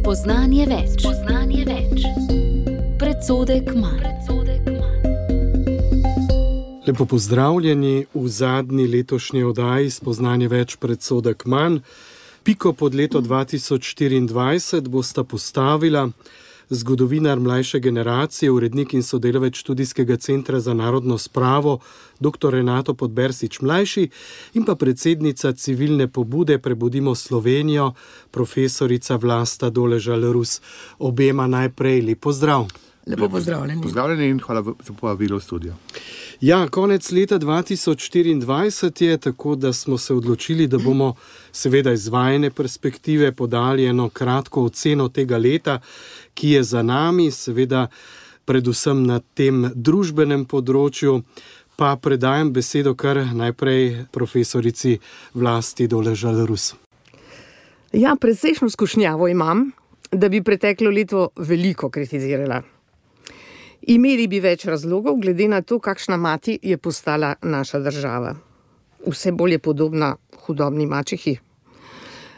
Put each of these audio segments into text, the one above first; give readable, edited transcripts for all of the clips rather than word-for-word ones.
Spoznanje več. Predsodek manj. Lepo pozdravljeni v zadnji letošnji oddaji Spoznanje več, predsodek manj. Piko pod leto 2024 bosta postavila zgodovinar mlajše generacije, urednik in sodelavec Študijskega centra za narodno spravo dr. Renato Podbersič mlajši in pa predsednica civilne pobude Prebudimo Slovenijo, profesorica Vlasta Doležal-Rus. Obema najprej lep pozdrav. Lepo pozdravljeni. Pozdravljeni in hvala za povabilo v studio. Ja, konec leta 2024 je, tako da smo se odločili, da bomo seveda iz vajine perspektive podali eno kratko oceno tega leta, ki je za nami, seveda predvsem na tem družbenem področju. Pa predajam besedo kar najprej profesorici Vlasti Doležal-Rus. Ja, precejšnjo skušnjavo imam, da bi preteklo leto veliko kritizirala. Imeli bi več razlogov, glede na to, kakšna mati je postala naša država. Vse bolj je podobna hudobni mačehi.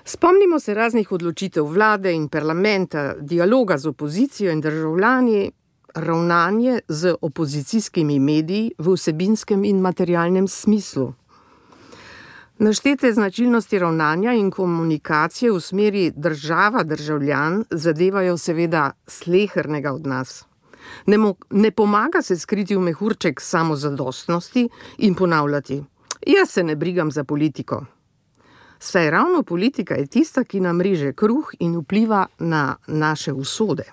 Spomnimo se raznih odločitev vlade in parlamenta, dialoga z opozicijo in državljani, ravnanje z opozicijskimi mediji v vsebinskem in materialnem smislu. Naštete značilnosti ravnanja in komunikacije v smeri država-državljan zadevajo seveda slehernega od nas. Ne pomaga se skriti v mehurček samozadostnosti in ponavljati: jaz se ne brigam za politiko. Saj ravno politika je tista, ki nam reže kruh in vpliva na naše usode.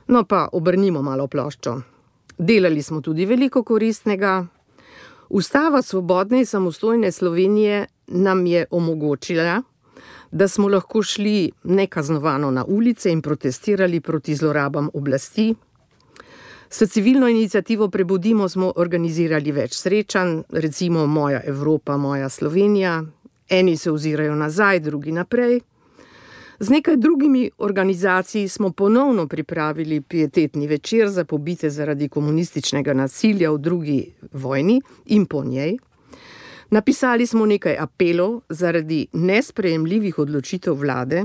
No pa obrnimo malo ploščo. Delali smo tudi veliko koristnega. Ustava svobodne in samostojne Slovenije nam je omogočila, da smo lahko šli nekaznovano na ulice in protestirali proti zlorabam oblasti. S civilno iniciativo Prebudimo smo organizirali več srečanj, recimo Moja Evropa, Moja Slovenija. Eni se ozirajo nazaj, drugi naprej. Z nekaj drugimi organizacij smo ponovno pripravili pietetni večer za pobite zaradi komunističnega nasilja v drugi vojni in po njej. Napisali smo nekaj apelov zaradi nesprejemljivih odločitev vlade.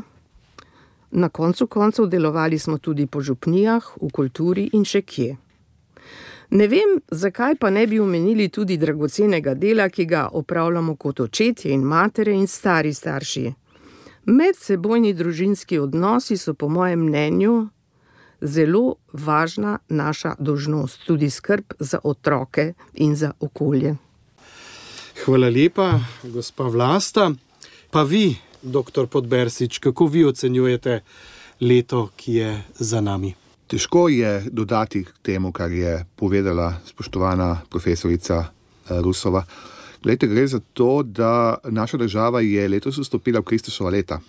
Na koncu koncev delovali smo tudi po župnijah, v kulturi in še kje. Ne vem, zakaj pa ne bi omenili tudi dragocenega dela, ki ga opravljamo kot očetje in matere in stari starši. Medsebojni družinski odnosi so po mojem mnenju zelo važna naša dolžnost, tudi skrb za otroke in za okolje. Hvala lepa, gospa Vlasta. Pa vi, dr. Podbersič, kako vi ocenjujete leto, ki je za nami? Težko je dodati k temu, kar je povedala spoštovana profesorica Rusova. Glejte, gre za to, da naša država je letos vstopila v Kristusova leta.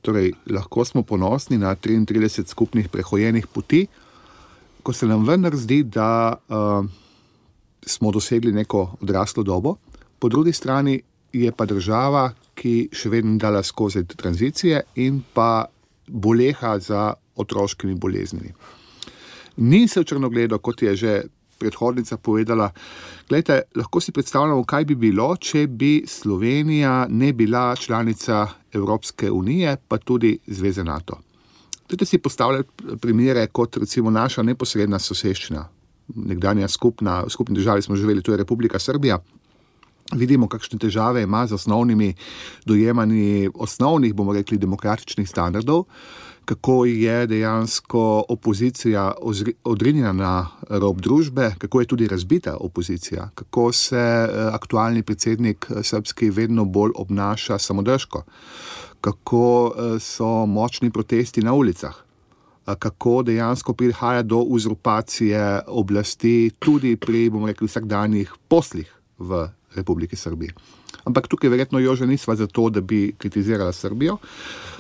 Torej, lahko smo ponosni na 33 skupnih prehojenih poti, ko se nam vendar zdi, da smo dosegli neko odraslo dobo. Po drugi strani je pa država, ki še vedno dala skozi tranzicije in pa boleha za otroškimi boleznimi. Ni se v črnogledo, kot je že predhodnica povedala. Glejte, lahko si predstavljamo, kaj bi bilo, če bi Slovenija ne bila članica Evropske unije, pa tudi Zveze NATO. Dajte si postavljati primere kot recimo naša neposredna soseščina. Nekdanja skupni državi smo živeli, to je Republika Srbija. Vidimo, kakšne težave ima z osnovnimi dojemanji osnovnih, bomo rekli, demokratičnih standardov, kako je dejansko opozicija odrinjena na rob družbe, kako je tudi razbita opozicija, kako se aktualni predsednik srbski vedno bolj obnaša samodržko, kako so močni protesti na ulicah, kako dejansko prihaja do uzurpacije oblasti tudi pri, bomo rekli, vsakdanjih poslih v Republiki Srbiji. Ampak tukaj verjetno Jože nisva za to, da bi kritizirala Srbijo,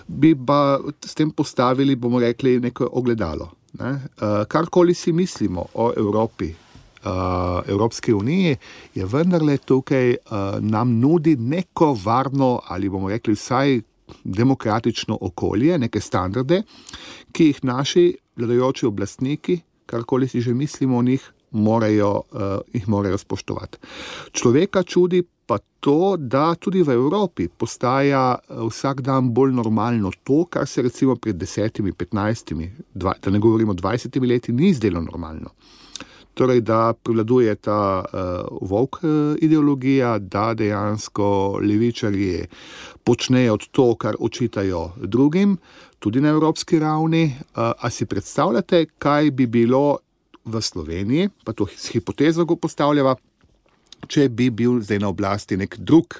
bi pa s tem postavili, bomo rekli, neko ogledalo. Karkoli si mislimo o Evropi, Evropski uniji, je vendarle tukaj nam nudi neko varno ali bomo rekli vsaj demokratično okolje, neke standarde, ki jih naši vladajoči oblastniki, karkoli si že mislimo o njih, morajo spoštovati. Človeka čudi pa to, da tudi v Evropi postaja vsak dan bolj normalno to, kar se recimo pred 10, 15, da ne govorimo 20 leti, ni zdelo normalno. Torej, da prevladuje ta woke ideologija, da dejansko levičarji počnejo to, kar očitajo drugim, tudi na evropski ravni. A si predstavljate, kaj bi bilo v Sloveniji, pa to s hipotezo go postavljava, če bi bil zdaj na oblasti nek drug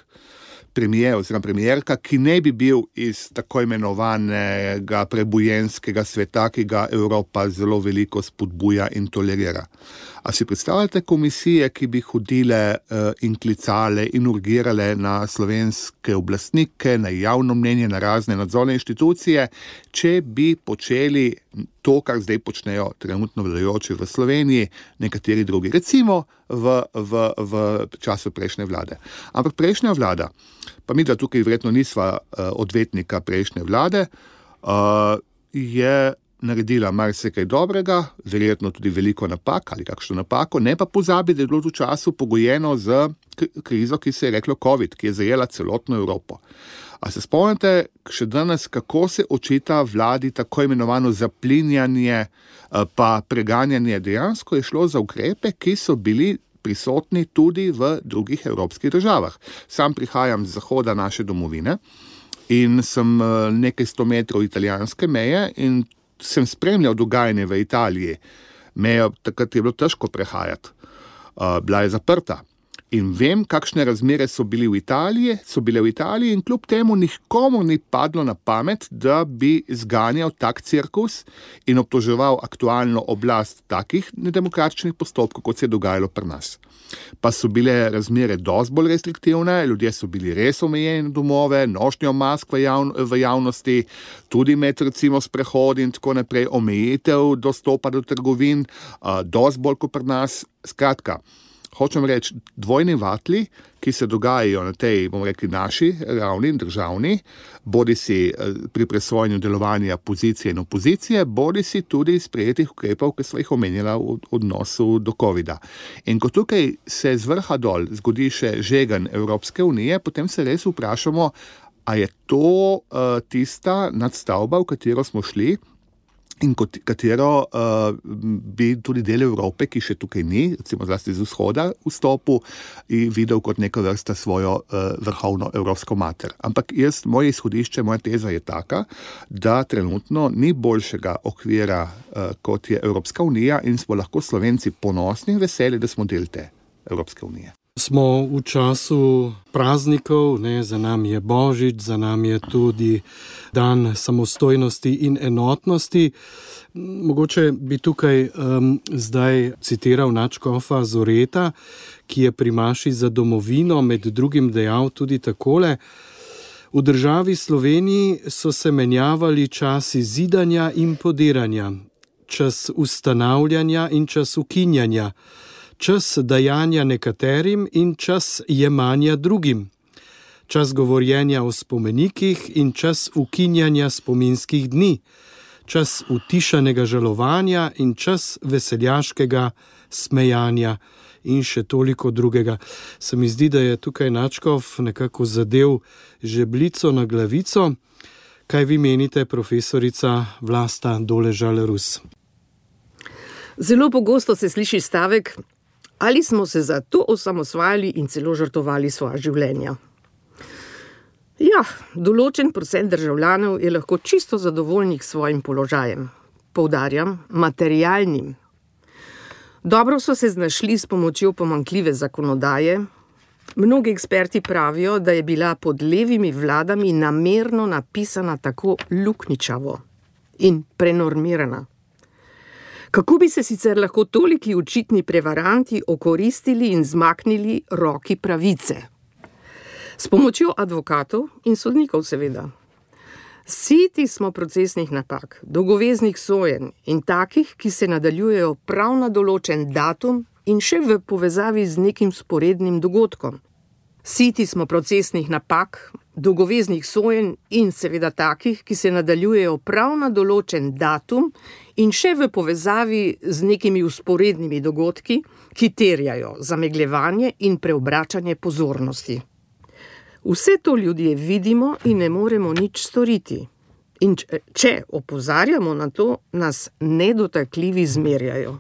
premijer oziroma premijerka, ki ne bi bil iz tako imenovanega prebujenskega sveta, ki ga Evropa zelo veliko spodbuja in tolerira. A si predstavljate komisije, ki bi hodile in klicale in urgirale na slovenske oblastnike, na javno mnenje, na razne nadzorne inštitucije, če bi počeli to, kar zdaj počnejo trenutno vladajoči v Sloveniji, nekateri drugi, recimo v času prejšnje vlade. Ampak prejšnja vlada, pa mi da tukaj verjetno nisva odvetnika prejšnje vlade, je naredila marsikaj dobrega, verjetno tudi veliko napak ali kakšno napako, ne pa pozabi, da je bilo v času pogojeno z krizo, ki se je reklo COVID, ki je zajela celotno Evropo. A se spomnite še danes, kako se očita vladi tako imenovano zaplinjanje pa preganjanje? Dejansko je šlo za ukrepe, ki so bili prisotni tudi v drugih evropskih državah. Sam prihajam z zahoda naše domovine in sem nekaj 100 metrov italijanske meje in sem spremljal dogajanje v Italiji. Mejo takrat je bilo težko prehajati. Bila je zaprta. In vem, kakšne razmere so bile v Italiji in kljub temu nikomu ni padlo na pamet, da bi zganjal tak cirkus in obtoževal aktualno oblast takih nedemokratičnih postopkov, kot se je dogajalo pri nas. Pa so bile razmere dosti bolj restriktivne, ljudje so bili res omejeni na domove, nošnjo mask v javnosti, tudi med recimo sprehodi in tako naprej, omejitev dostopa do trgovin, dosti bolj kot pri nas. Skratka, hočem reči, dvojni vatli, ki se dogajajo na tej, bomo rekli, naši ravni in državni, bodi si pri presvojenju delovanja pozicije in opozicije, bodi si tudi sprejetih ukrepov, ki sva jih omenjala v odnosu do covida. In ko tukaj se z vrha dol zgodi še žegen Evropske unije, potem se res vprašamo, a je to tista nadstavba, v katero smo šli, in katero bi tudi del Evrope, ki še tukaj ni, recimo zlasti z vzhoda, vstopil in videl kot neka vrsta svojo vrhovno evropsko mater. Ampak moje izhodišče, moja teza je taka, da trenutno ni boljšega okvira, kot je Evropska unija in smo lahko Slovenci ponosni in veseli, da smo del te Evropske unije. Smo v času praznikov, za nami je Božič, za nami je tudi dan samostojnosti in enotnosti. Mogoče bi tukaj zdaj citiral nadškofa Zoreta, ki je pri Maši za domovino med drugim dejal tudi takole: v državi Sloveniji so se menjavali časi zidanja in podiranja, čas ustanavljanja in čas ukinjanja, čas dajanja nekaterim in čas jemanja drugim, čas govorjenja o spomenikih in čas ukinjanja spominskih dni, čas utišanega žalovanja in čas veseljaškega smejanja in še toliko drugega. Se mi zdi, da je tukaj nadškof nekako zadev žebljico na glavico. Kaj vi menite, profesorica Vlasta Doležal-Rus? Zelo pogosto se sliši stavek: ali smo se za to osamosvajali in celo žrtvovali svoja življenja? Ja, določen procent državljanov je lahko čisto zadovoljnih s svojim položajem. Poudarjam, materialnim. Dobro so se znašli s pomočjo pomanjkljive zakonodaje. Mnogi eksperti pravijo, da je bila pod levimi vladami namerno napisana tako luknjičavo in prenormirana. Kako bi se sicer lahko toliki očitni prevaranti okoristili in zmaknili roki pravice? S pomočjo advokatov in sodnikov seveda. Siti smo procesnih napak, dolgoveznih sojenj in takih, ki se nadaljujejo prav na določen datum in še v povezavi z nekim sporednim dogodkom. Siti smo procesnih napak, dolgoveznih sojenj in seveda takih, ki se nadaljujejo prav na določen datum in še v povezavi z nekimi vzporednimi dogodki, ki terjajo zamegljevanje in preobračanje pozornosti. Vse to ljudje vidimo in ne moremo nič storiti. In če opozarjamo na to, nas nedotakljivi zmerjajo.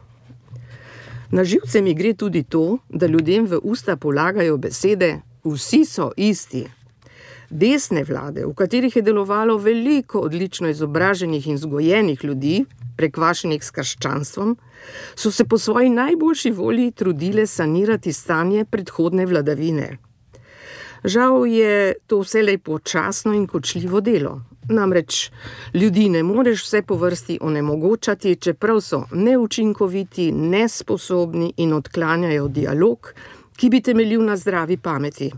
Na živce mi gre tudi to, da ljudem v usta polagajo besede vsi so isti. Desne vlade, v katerih je delovalo veliko odlično izobraženih in vzgojenih ljudi, prekvašenih s krščanstvom, so se po svoji najboljši volji trudile sanirati stanje predhodne vladavine. Žal je to vselej počasno in kočljivo delo. Namreč ljudi ne moreš vse po vrsti onemogočati, čeprav so neučinkoviti, nesposobni in odklanjajo dialog, ki bi temeljil na zdravi pameti.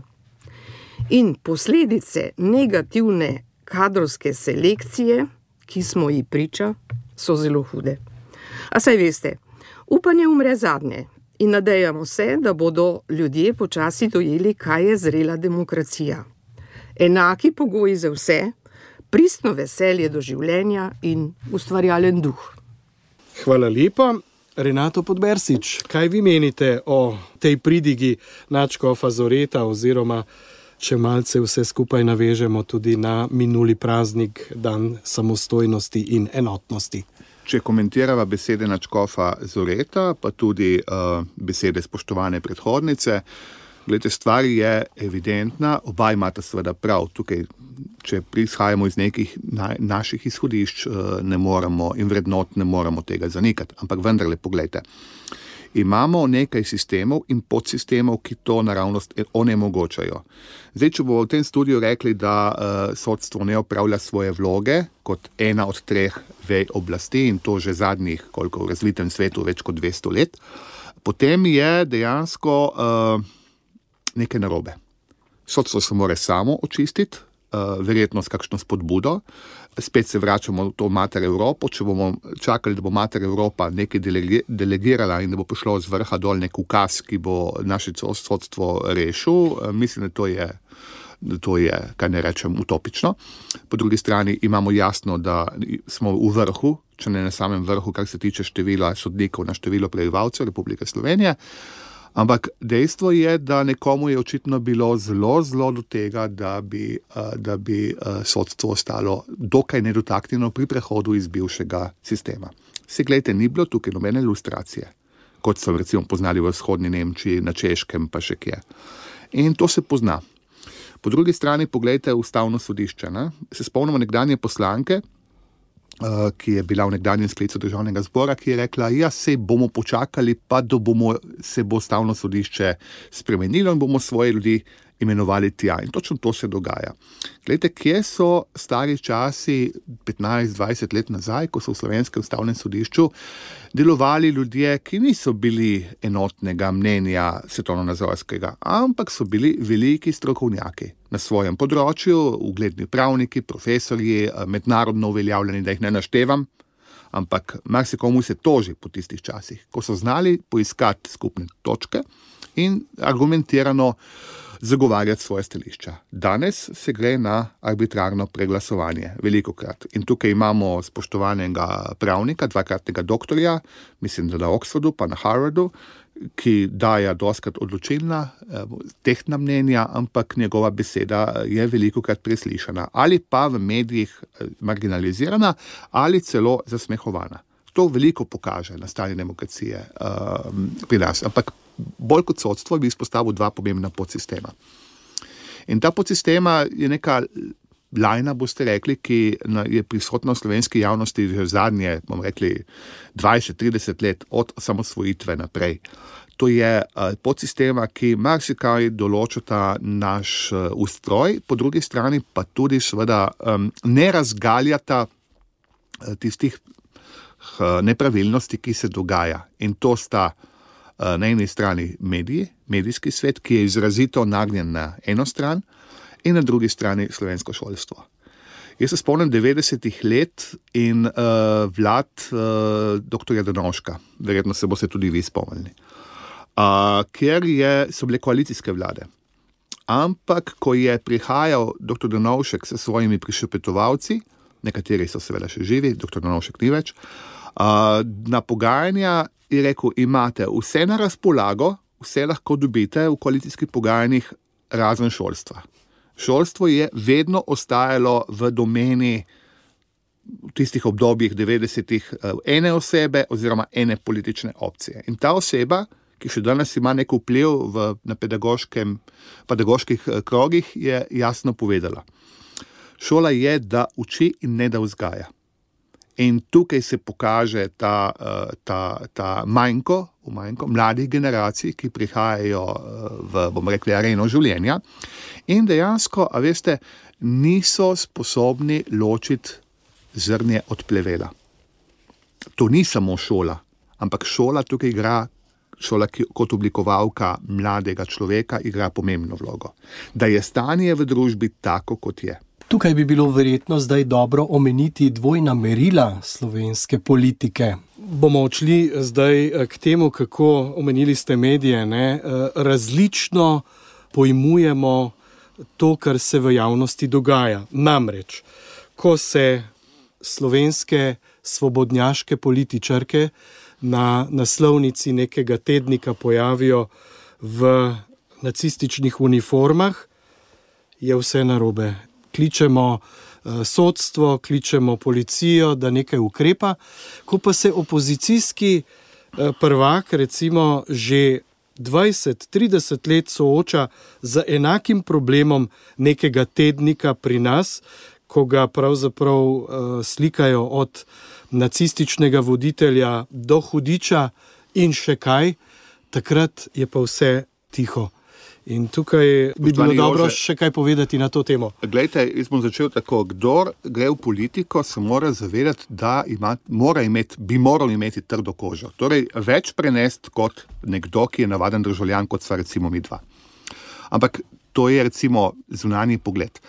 In posledice negativne kadrovske selekcije, ki smo ji priča, so zelo hude. A saj veste, upanje umre zadnje in nadejamo se, da bodo ljudje počasi dojeli, kaj je zrela demokracija. Enaki pogoji za vse, pristno veselje do življenja in ustvarjalen duh. Hvala lepa. Renato Podbersič, kaj vi menite o tej pridigi nadškofa Zoreta oziroma, če malce vse skupaj navežemo tudi na minuli praznik, dan samostojnosti in enotnosti? Če komentirava besede nadškofa Zoreta, pa tudi besede spoštovane predhodnice, gledajte, stvar je evidentna, oba imata seveda prav. Tukaj, če prihajamo iz nekih naših izhodišč ne moremo in vrednot ne moremo tega zanikati. Ampak vendarle, poglejte, imamo nekaj sistemov in podsistemov, ki to naravnost onemogočajo. Zdaj, če bomo v tem studiu rekli, da sodstvo ne opravlja svoje vloge kot ena od 3 vej oblasti in to že zadnjih, koliko v razvitem svetu, več kot 200 let, potem je dejansko nekaj narobe. Sodstvo se mora samo očistiti, verjetno s kakšno spodbudo. Spet se vračamo v to mater Evropo. Če bomo čakali, da bo mater Evropa nekaj delegirala in da bo prišlo z vrha dol nek ukaz, ki bo naše sodstvo rešil, mislim, da to je, kaj ne rečem, utopično. Po drugi strani imamo jasno, da smo v vrhu, če ne na samem vrhu, kar se tiče števila sodnikov na število prebivalcev Republike Slovenije. Ampak dejstvo je, da nekomu je očitno bilo zelo do tega, da bi sodstvo ostalo dokaj nedotaknjeno pri prehodu iz bivšega sistema. Se gledajte, ni bilo tukaj nobene ilustracije, kot so recimo poznali v vzhodni Nemčiji, na Češkem pa še kje. In to se pozna. Po drugi strani pogledajte Ustavno sodišče. Ne? Se spomnimo nekdanje poslanke, ki je bila v nekdanjem sklicu Državnega zbora, ki je rekla, ja, sej bomo počakali, pa da se bo Ustavno sodišče spremenilo in bomo svoje ljudi imenovali tja. In točno to se dogaja. Glejte, kje so stari časi 15-20 let nazaj, ko so v Slovenskem ustavnem sodišču delovali ljudje, ki niso bili enotnega mnenja svetovnonazorskega, ampak so bili veliki strokovnjaki na svojem področju, ugledni pravniki, profesorji, mednarodno uveljavljeni, da jih ne naštevam, ampak marsikomu se toži po tistih časih, ko so znali poiskati skupne točke in argumentirano zagovarjati svoje stališča. Danes se gre na arbitrarno preglasovanje, velikokrat. In tukaj imamo spoštovanega pravnika, 2-kratnega doktorja, mislim, da na Oxfordu, pa na Harvardu, ki daje dostikrat odločilna, tehtna mnenja, ampak njegova beseda je velikokrat preslišana. Ali pa v medijih marginalizirana, ali celo zasmehovana. To veliko pokaže na stanje demokracije pri nas. Ampak bolj kot sodstvo bi izpostavil 2 pomembna podsistema. In ta podsistema je neka lajna, boste rekli, ki je prisotna v slovenski javnosti že zadnje, bomo rekli, 20-30 let od samosvojitve naprej. To je podsistema, ki marsikaj določata naš ustroj, po drugi strani pa tudi seveda ne razgaljata tistih nepravilnosti, ki se dogaja. In to sta na eni strani mediji, medijski svet, ki je izrazito nagnjen na eno stran, in na drugi strani slovensko šolstvo. Jaz se spomnim 90-ih let in vlad doktorja Drnovška, verjetno se boste tudi vi spomnili, ker so bile koalicijske vlade. ampak ko je prihajal dr. Drnovšek s svojimi prišepetovalci, nekateri so seveda še živi, dr. Drnovšek ni več, na pogajanja je rekel, imate vse na razpolago, vse lahko dobite v koalicijskih pogajanjih razen šolstva. Šolstvo je vedno ostajalo v domeni v tistih obdobjih 90-ih ene osebe oziroma ene politične opcije. In ta oseba, ki še danes ima nek vpliv na pedagoških krogih, je jasno povedala. Šola je, da uči in ne da vzgaja. In tukaj se pokaže ta manjko mladih generacij, ki prihajajo v areno življenja in dejansko, a veste, niso sposobni ločiti zrnje od plevela. To ni samo šola, ampak šola tukaj kot oblikovalka mladega človeka igra pomembno vlogo. Da je stanje v družbi tako, kot je. Tukaj bi bilo verjetno zdaj dobro omeniti dvojna merila slovenske politike. Bomo odšli zdaj k temu, kako, omenili ste medije, različno pojmujemo to, kar se v javnosti dogaja. Namreč, ko se slovenske svobodnjaške političarke na naslovnici nekega tednika pojavijo v nacističnih uniformah, je vse narobe. Kličemo sodstvo, kličemo policijo, da nekaj ukrepa. Ko pa se opozicijski prvak recimo že 20-30 let sooča z enakim problemom nekega tednika pri nas, ko ga pravzaprav slikajo od nacističnega voditelja do hudiča in še kaj, takrat je pa vse tiho. In tukaj bi bilo dobro še kaj povedati na to temo. Glejte, jaz bom začel tako. Kdor gre v politiko, se mora zavedati, da bi moral imeti trdo kožo. Torej, več prenesti kot nekdo, ki je navaden državljan, kot sva recimo mi dva. Ampak to je recimo zunanji pogled.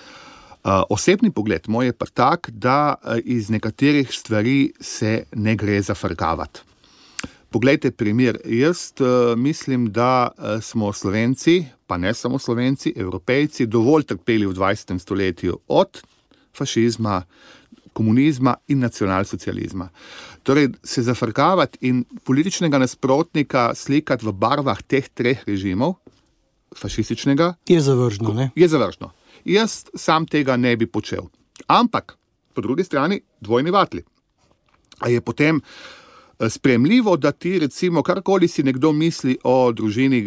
Osebni pogled moj je pa tak, da iz nekaterih stvari se ne gre zafrkavati. Poglejte primer, jaz mislim, da smo Slovenci, pa ne samo Slovenci, Evropejci, dovolj trpeli v 20. stoletju od fašizma, komunizma in nacionalsocializma. Torej, se zafrkavati in političnega nasprotnika slikati v barvah teh treh režimov, fašističnega, je zavržno, ne? Je zavržno. Jaz sam tega ne bi počel. Ampak, po drugi strani, dvojni vatli. A je potem sprejemljivo, da ti recimo karkoli si nekdo misli o družini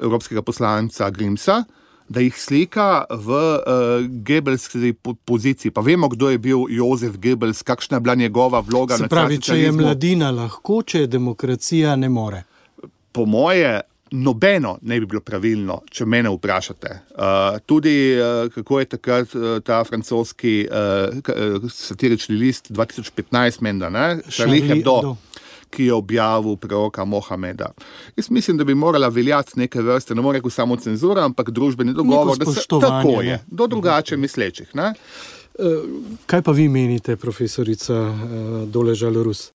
evropskega poslanca Grimsa, da jih slika v Goebbelski poziciji. Pa vemo, kdo je bil Jozef Goebbels, kakšna je bila njegova vloga na nacionalsocializmu. Se pravi, če je mladina lahko, če je demokracija ne more. Po moje nobeno ne bi bilo pravilno, če mene vprašate. Tudi, kako je takrat ta francoski satirični list 2015 menda, Charlie Hebdo, ki je objavil preroka Mohameda. Jaz mislim, da bi morala veljati neke vrste, ne more rekel samo cenzura, ampak družbeni dogovor, da se tako je, do drugače mislečih. Ne? Kaj pa vi menite, profesorica Doležal-Rus?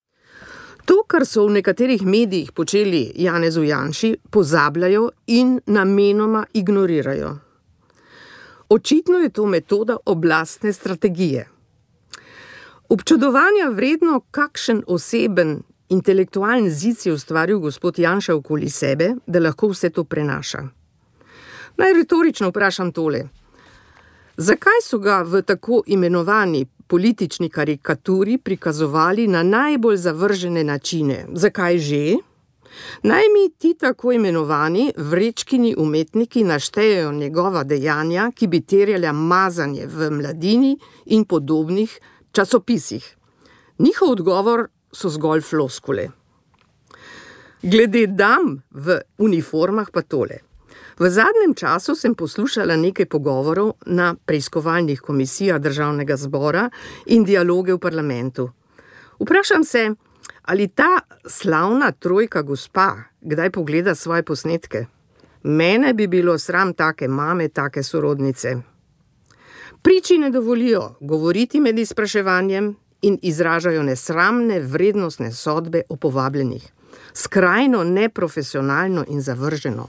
To, kar so v nekaterih medijih počeli Janezu Janši, pozabljajo in namenoma ignorirajo. Očitno je to metoda oblastne strategije. Občudovanja vredno, kakšen oseben intelektualni zid je ustvaril gospod Janša okoli sebe, da lahko vse to prenaša. Naj retorično vprašam tole. Zakaj so ga v tako imenovani politični karikaturi prikazovali na najbolj zavržene načine? Zakaj že? Naj mi ti tako imenovani vrečkini umetniki naštejejo njegova dejanja, ki bi terjala mazanje v Mladini in podobnih časopisih. Njihov odgovor so zgolj floskule. Glede dam v uniformah pa tole. V zadnjem času sem poslušala nekaj pogovorov na preiskovalnih komisijah Državnega zbora in dialoge v parlamentu. Vprašam se, ali ta slavna trojka gospa kdaj pogleda svoje posnetke? Mene bi bilo sram take mame, take sorodnice. Priči ne dovolijo govoriti med izpraševanjem in izražajo nesramne vrednostne sodbe o povabljenih. Skrajno neprofesionalno in zavrženo.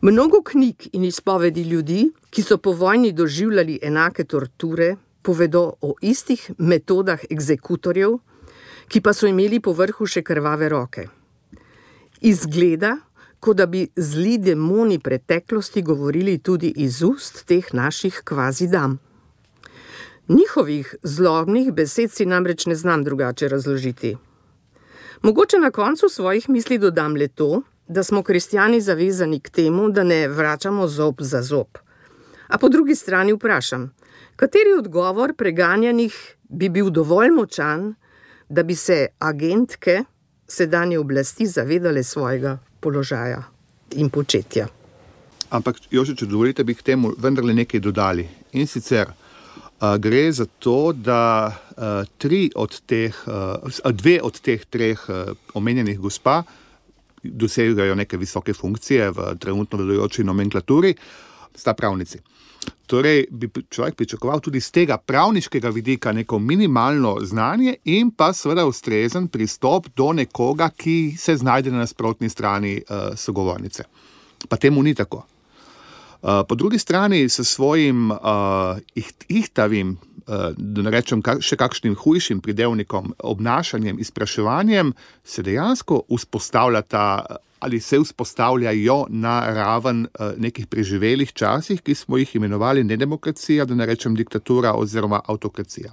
Mnogo knjig in izpovedi ljudi, ki so po vojni doživljali enake torture, povedo o istih metodah egzekutorjev, ki pa so imeli po vrhu še krvave roke. Izgleda, kot da bi zli demoni preteklosti govorili tudi iz ust teh naših kvazi dam. Njihovih zlobnih besed si namreč ne znam drugače razložiti. Mogoče na koncu svojih misli dodam le to, da smo kristjani zavezani k temu, da ne vračamo zob za zob. A po drugi strani vprašam, kateri odgovor preganjanih bi bil dovolj močan, da bi se agentke sedanje oblasti zavedale svojega položaja in početja. Ampak, Jože, če dovolite, bi k temu vendarle nekaj dodali. In sicer gre za to, da dve od teh treh omenjenih gospa dosegajo neke visoke funkcije v trenutno vladajoči nomenklaturi, sta pravnici. Torej bi človek pričakoval tudi z tega pravniškega vidika neko minimalno znanje in pa seveda ustrezen pristop do nekoga, ki se znajde na nasprotni strani sogovornice. Pa temu ni tako. Po drugi strani s svojim ihtavim, da ne rečem še kakšnim hujšim pridevnikom, obnašanjem, izpraševanjem, se dejansko vzpostavljajo na raven nekih preživelih časih, ki smo jih imenovali ne demokracija, da ne rečem diktatura oziroma avtokracija.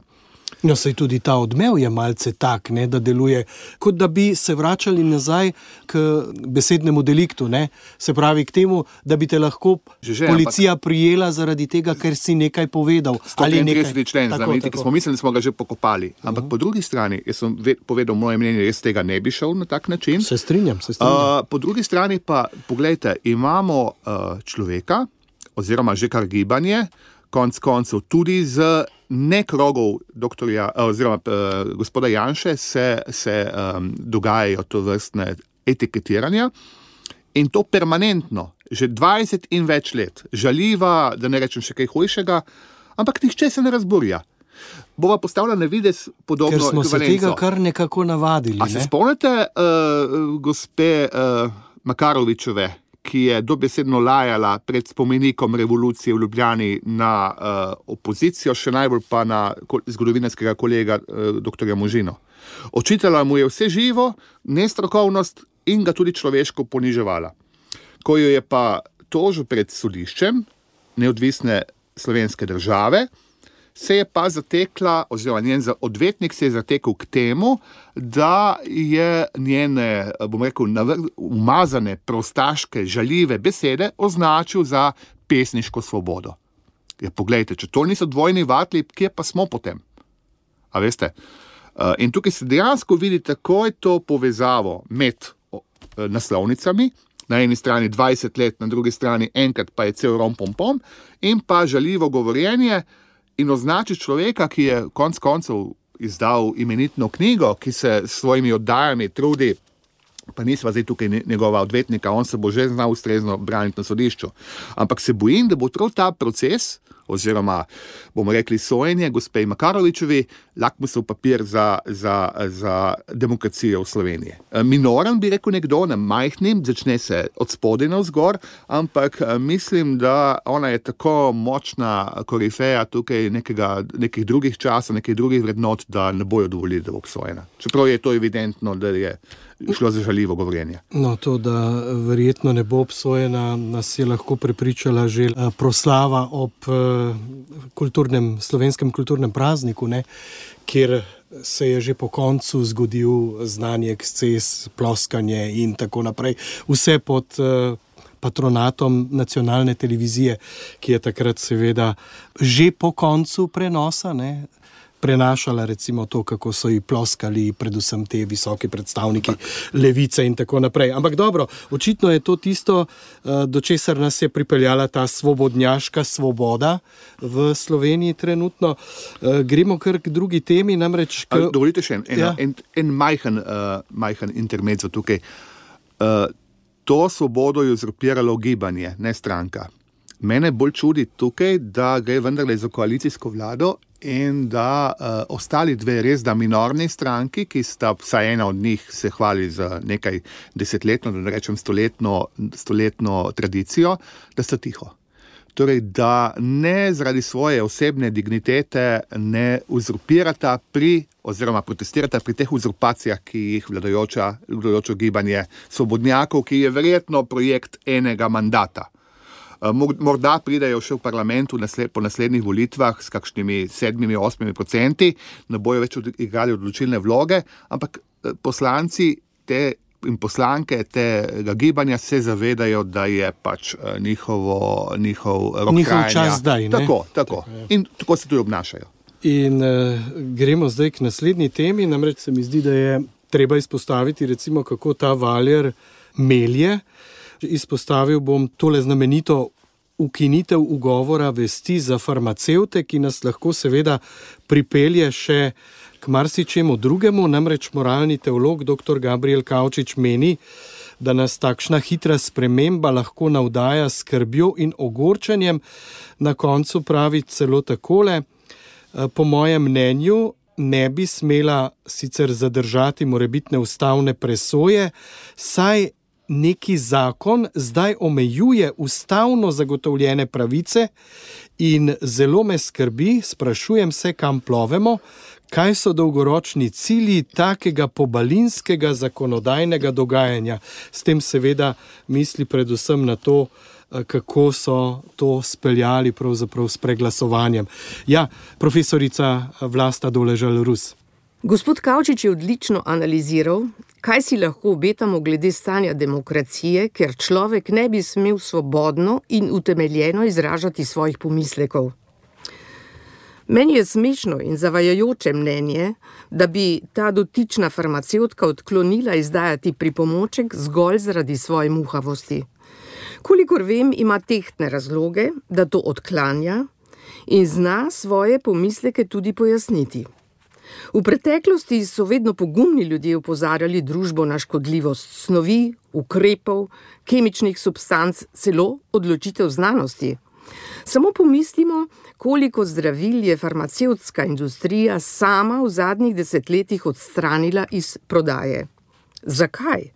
No, saj tudi ta odmev je malce tak, ne, da deluje, kot da bi se vračali nazaj k besednemu deliktu, ne? Se pravi k temu, da bi te lahko policija prijela zaradi tega, ker si nekaj povedal. 133. člen znameniti, ki smo mislili, da smo ga že pokopali. Ampak po drugi strani, jaz sem povedal moje mnenje, jaz tega ne bi šel na tak način. Se strinjam. Po drugi strani pa, poglejte, imamo človeka, oziroma že kar gibanje, konc koncev tudi z nekrogov gospoda Janše se dogajajo to vrstne etiketiranja in to permanentno, že 20 in več let. Žaljiva, da ne rečem še kaj hujšega, ampak nihče se ne razburja. Bova postavila na videz podobno ekvivalenco. Ker smo se tega kar nekako navadili. A se spomnite gospe Makarovičeve, ki je dobesedno lajala pred spomenikom revolucije v Ljubljani na opozicijo, še najbolj pa na zgodovinarskega kolega dr. Možino. Očitala mu je vse živo, nestrokovnost in ga tudi človeško poniževala. Ko jo je pa tožil pred sodiščem neodvisne slovenske države, se je pa zatekla, oziroma njen odvetnik se je zatekel k temu, da je njene, bom rekel, umazane, prostaške, žaljive besede označil za pesniško svobodo. Ja, poglejte, če to niso dvojni vatli, kje pa smo potem? A veste? In tukaj se dejansko vidi takoj to povezavo med naslovnicami, na eni strani 20 let, na drugi strani enkrat pa je cel rom-pom-pom, in pa žaljivo govorjenje, in označi človeka, ki je konec koncev izdal imenitno knjigo, ki se s svojimi oddajami trudi, pa nisva zdaj tukaj njegova odvetnika, on se bo že znal ustrezno braniti na sodišču. Ampak se bojim, da bo prav ta proces, oziroma bomo rekli sojenje gospej Makarovičevi, lakmusov papir za demokracijo v Sloveniji. Minoren bi rekel nekdo, ne majhnim, začne se od spodaj navzgor, ampak mislim, da ona je tako močna korifeja tukaj nekih drugih časov, nekih drugih vrednot, da ne bojo dovolili, da bo obsojena. Čeprav je to evidentno, da je šlo za žaljivo govorjenje. No, to, da verjetno ne bo obsojena, nas je lahko prepričala že proslava ob slovenskem kulturnem prazniku, ne, kjer se je že po koncu zgodil znani eksces, ploskanje in tako naprej. Vse pod patronatom nacionalne televizije, ki je takrat seveda že po koncu prenosa, ne, prenašala recimo to, kako so ji ploskali predvsem te visoki predstavniki levice in tako naprej. Ampak dobro, očitno je to tisto, do česar nas je pripeljala ta svobodnjaška svoboda v Sloveniji trenutno. Gremo kar k drugi temi, namreč... Dovolite še en majhen intermezzo tukaj. To svobodo je uzurpiralo gibanje, ne stranka. Mene bolj čudi tukaj, da gre vendarle za koalicijsko vlado in da ostali dve res da minorni stranki, ki sta vsaj ena od njih se hvali za nekaj desetletno, da ne rečem stoletno tradicijo, da sta tiho. Torej, da ne zaradi svoje osebne dignitete ne uzurpirata oziroma protestirata pri teh uzurpacijah, ki jih vladajoče gibanje svobodnjakov, ki je verjetno projekt enega mandata. Morda pridejo še v parlamentu po naslednjih volitvah s kakšnimi 7-8%, ne bojo več igrali odločilne vloge, ampak poslanci in poslanke tega gibanja se zavedajo, da je pač njihov rok trajanja. Čas zdaj, ne? Tako. In tako se tudi obnašajo. In gremo zdaj k naslednji temi, namreč se mi zdi, da je treba izpostaviti recimo, kako ta valjar melje. Izpostavil bom tole znamenito ukinitev ugovora vesti za farmacevte, ki nas lahko seveda pripelje še k marsičemu drugemu, namreč moralni teolog dr. Gabriel Kavčič meni, da nas takšna hitra sprememba lahko navdaja s skrbjo in ogorčenjem. Na koncu pravi celo takole: po mojem mnenju ne bi smela sicer zadržati morebitne ustavne presoje, saj neki zakon zdaj omejuje ustavno zagotovljene pravice in zelo me skrbi, sprašujem se, kam plovemo, kaj so dolgoročni cilji takega pobalinskega zakonodajnega dogajanja. S tem seveda misli predvsem na to, kako so to speljali pravzaprav s preglasovanjem. Ja, profesorica Vlasta Doležal-Rus. Gospod Kavčič je odlično analiziral, kaj si lahko obetamo glede stanja demokracije, ker človek ne bi smel svobodno in utemeljeno izražati svojih pomislekov. Meni je smešno in zavajajoče mnenje, da bi ta dotična farmacevtka odklonila izdajati pripomoček zgolj zaradi svoje muhavosti. Kolikor vem, ima tehtne razloge, da to odklanja in zna svoje pomisleke tudi pojasniti. V preteklosti so vedno pogumni ljudje opozarjali družbo na škodljivost snovi, ukrepov, kemičnih substanc, celo odločitev znanosti. Samo pomislimo, koliko zdravil je farmacevtska industrija sama v zadnjih desetletjih odstranila iz prodaje. Zakaj?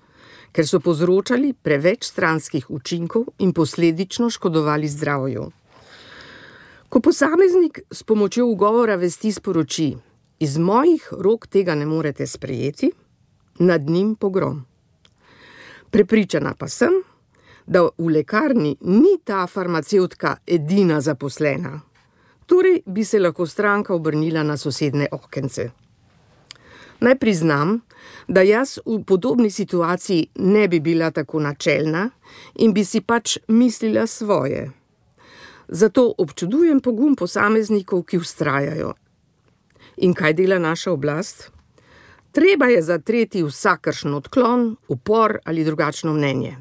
Ker so povzročali preveč stranskih učinkov in posledično škodovali zdravju. Ko posameznik s pomočjo ugovora vesti sporoči: iz mojih rok tega ne morete sprejeti, nad njim pogrom. Prepričana pa sem, da v lekarni ni ta farmacevtka edina zaposlena. Torej bi se lahko stranka obrnila na sosednje okence. Naj priznam, da jaz v podobni situaciji ne bi bila tako načelna in bi si pač mislila svoje. Zato občudujem pogum posameznikov, ki vztrajajo. In kaj dela naša oblast? Treba je zatreti vsakršen odklon, upor ali drugačno mnenje.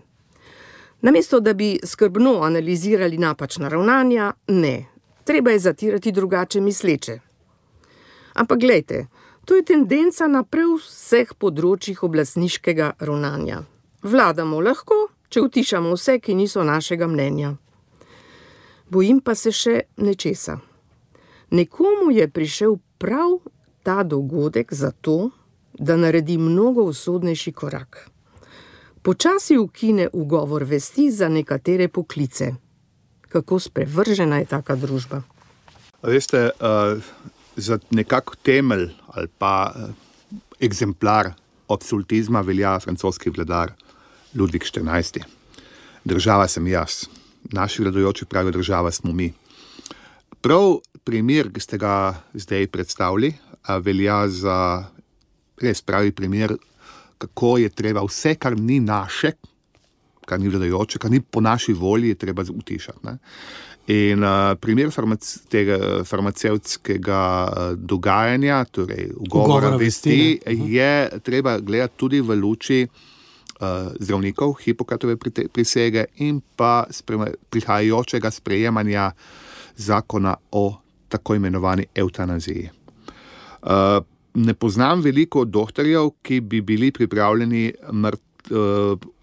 Namesto da bi skrbno analizirali napačna ravnanja, ne. Treba je zatirati drugače misleče. Ampak glejte, to je tendenca na prav vseh področjih oblastniškega ravnanja. Vladamo lahko, če utišamo vse, ki niso našega mnenja. Bojim pa se še nečesa. Nekomu je prišel prav ta dogodek zato, da naredi mnogo usodnejši korak. Počasi ukine ugovor vesti za nekatere poklice. Kako sprevržena je taka družba? Veste, za nekak temelj ali pa egzemplar absolutizma velja francoski vladar Ludvik XIV. Država sem jaz. Naši vladajoči pravijo, država smo mi. Prav primer, ki ste ga zdaj predstavili, velja za res pravi primer, kako je treba vse, kar ni naše, kar ni vladajoče, kar ni po naši volji, je treba utišati. Ne? In primer tega farmacevtskega dogajanja, torej ugovora vesti, je treba gledati tudi v luči zdravnikov, Hipokratove prisege in pa prihajajočega sprejemanja zakona o tako imenovani evtanaziji. Ne poznam veliko doktorjev, ki bi bili pripravljeni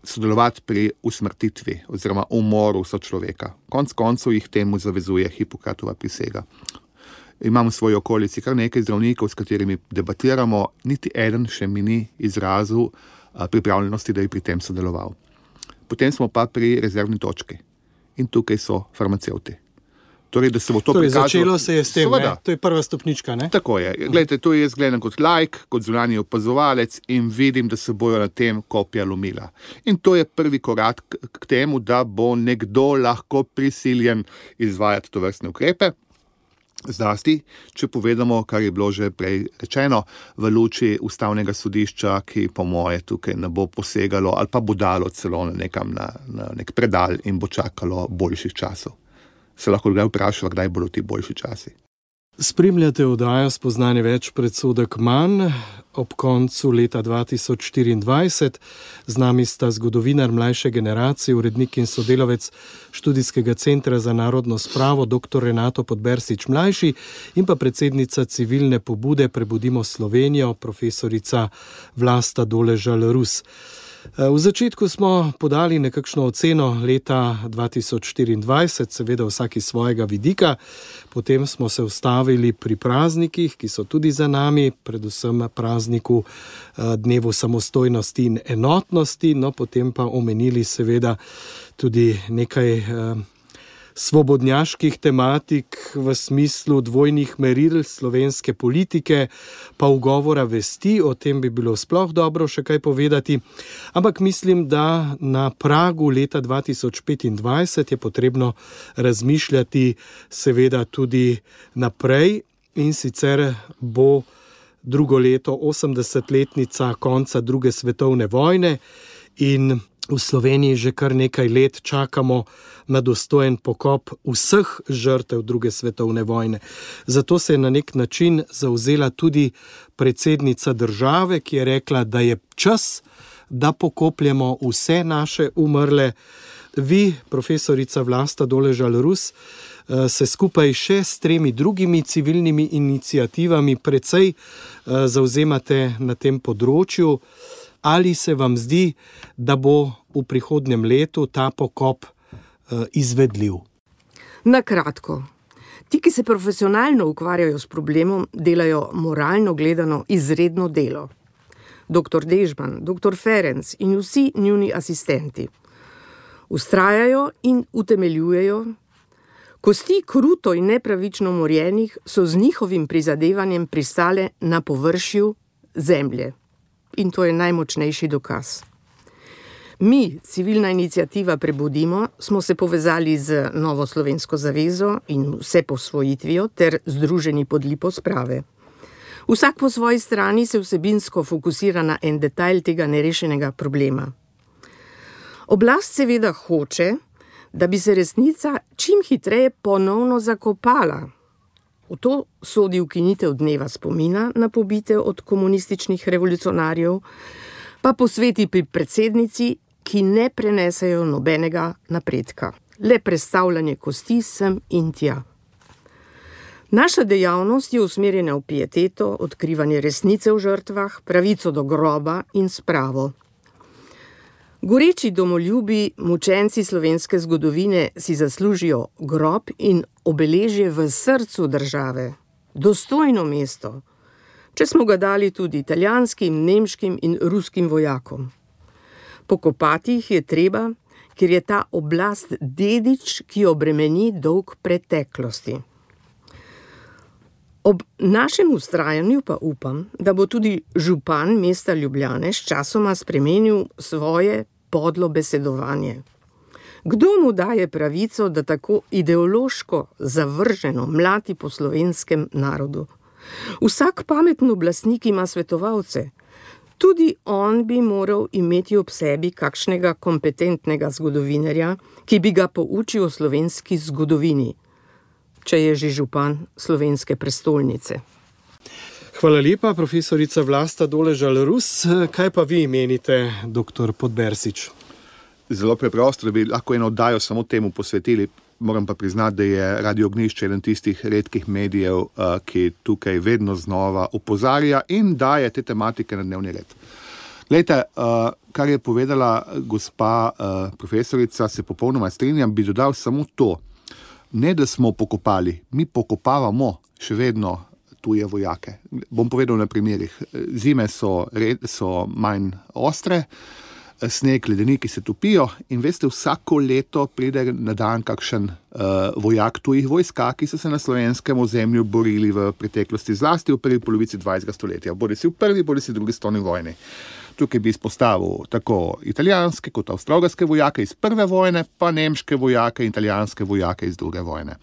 sodelovati pri usmrtitvi oziroma umoru sočloveka. Konec koncev jih temu zavezuje Hipokratova prisega. Imam v svoji okolici kar nekaj zdravnikov, s katerimi debatiramo, niti eden še mi ni izrazil pripravljenosti, da je pri tem sodeloval. Potem smo pa pri rezervni točki in tukaj so farmacevti. Torej, da se bo to prikazalo. Začelo se je s tem, ne? To je prva stopnička, ne? Tako je. Glejte, to jaz gledam kot laik, kot zunanji opazovalec in vidim, da se bojo na tem kopja lomila. In to je prvi korak k temu, da bo nekdo lahko prisiljen izvajati tovrstne ukrepe. Zlasti, če povedamo, kar je bilo že prej rečeno, v luči ustavnega sodišča, ki po moje tukaj ne bo posegalo ali pa bo dalo celo nekam na nek predal in bo čakalo boljših časov. Se lahko kdaj vprašava, kdaj bodo ti boljši časi. Spremljate oddajo Spoznanje več, predsodek manj. Ob koncu leta 2024 z nami sta zgodovinar mlajše generacije, urednik in sodelavec Študijskega centra za narodno spravo dr. Renato Podbersič mlajši in pa predsednica civilne pobude Prebudimo Slovenijo, profesorica Vlasta Doležal Rus. V začetku smo podali nekakšno oceno leta 2024, seveda vsaki svojega vidika, potem smo se ustavili pri praznikih, ki so tudi za nami, predvsem prazniku Dnevu samostojnosti in enotnosti, no potem pa omenili seveda tudi nekaj svobodnjaških tematik v smislu dvojnih meril slovenske politike, pa ugovora vesti, o tem bi bilo sploh dobro še kaj povedati. Ampak mislim, da na pragu leta 2025 je potrebno razmišljati seveda tudi naprej in sicer bo drugo leto 80-letnica konca druge svetovne vojne in v Sloveniji že kar nekaj let čakamo na dostojen pokop vseh žrtev druge svetovne vojne. Zato se je na nek način zavzela tudi predsednica države, ki je rekla, da je čas, da pokopljemo vse naše umrle. Vi, profesorica Vlasta Doležal Rus, se skupaj še s 3 drugimi civilnimi iniciativami precej zavzemate na tem področju. Ali se vam zdi, da bo v prihodnjem letu ta pokop izvedljiv? Na kratko. Ti, ki se profesionalno ukvarjajo s problemom, delajo moralno gledano izredno delo. Dr. Dežman, dr. Ferenc in vsi njuni asistenti vztrajajo in utemeljujejo. Kosti kruto in nepravično umorjenih so z njihovim prizadevanjem pristale na površju zemlje. In to je najmočnejši dokaz. Mi, civilna iniciativa Prebudimo, smo se povezali z Novo slovensko zavezo in Vseposvojitvijo ter Združeni pod lipo sprave. Vsak po svoji strani se vsebinsko fokusira na en detajl tega nerešenega problema. Oblast seveda hoče, da bi se resnica čim hitreje ponovno zakopala. V to sodi ukinitev dneva spomina na pobite od komunističnih revolucionarjev, pa posveti pri predsednici, ki ne prenesejo nobenega napredka, le prestavljanje kosti sem in tja. Naša dejavnost je usmerjena v pieteto, odkrivanje resnice v žrtvah, pravico do groba in spravo. Goreči domoljubi, mučenci slovenske zgodovine si zaslužijo grob in obeležje v srcu države, dostojno mesto, če smo ga dali tudi italijanskim, nemškim in ruskim vojakom. Pokopati jih je treba, ker je ta oblast dedič, ki obremeni dolg preteklosti. Ob našem vztrajanju pa upam, da bo tudi župan mesta Ljubljane sčasoma spremenil svoje podlo besedovanje. Kdo mu daje pravico, da tako ideološko zavrženo mlati po slovenskem narodu? Vsak pameten oblastnik ima svetovalce. Tudi on bi moral imeti ob sebi kakšnega kompetentnega zgodovinarja, ki bi ga poučil o slovenski zgodovini, če je že župan slovenske prestolnice. Hvala lepa, profesorica Vlasta Doležal Rus. Kaj pa vi menite, dr. Podbersič? Zelo preprosto, da bi lahko eno oddajo samo temu posvetili. Moram pa priznati, da je Radio Ognjišče eden tistih redkih medijev, ki tukaj vedno znova opozarja in daje te tematike na dnevni red. Glejte, kar je povedala gospa profesorica, se popolnoma strinjam, bi dodal samo to. Ne, da smo pokopali, mi pokopavamo še vedno tuje vojake. Bom povedal na primerih. Zime so manj ostre, sneg, ledeniki se topijo in veste, vsako leto pride na dan kakšen vojak tujih vojska, ki so se na slovenskem ozemlju borili v preteklosti, zlasti v prvi polovici 20. stoletja. Bodi si v prvi, bodi si v drugi svetovni vojni. Tukaj bi izpostavil tako italijanske kot avstralske vojake iz prve vojne, pa nemške vojake in italijanske vojake iz druge vojne.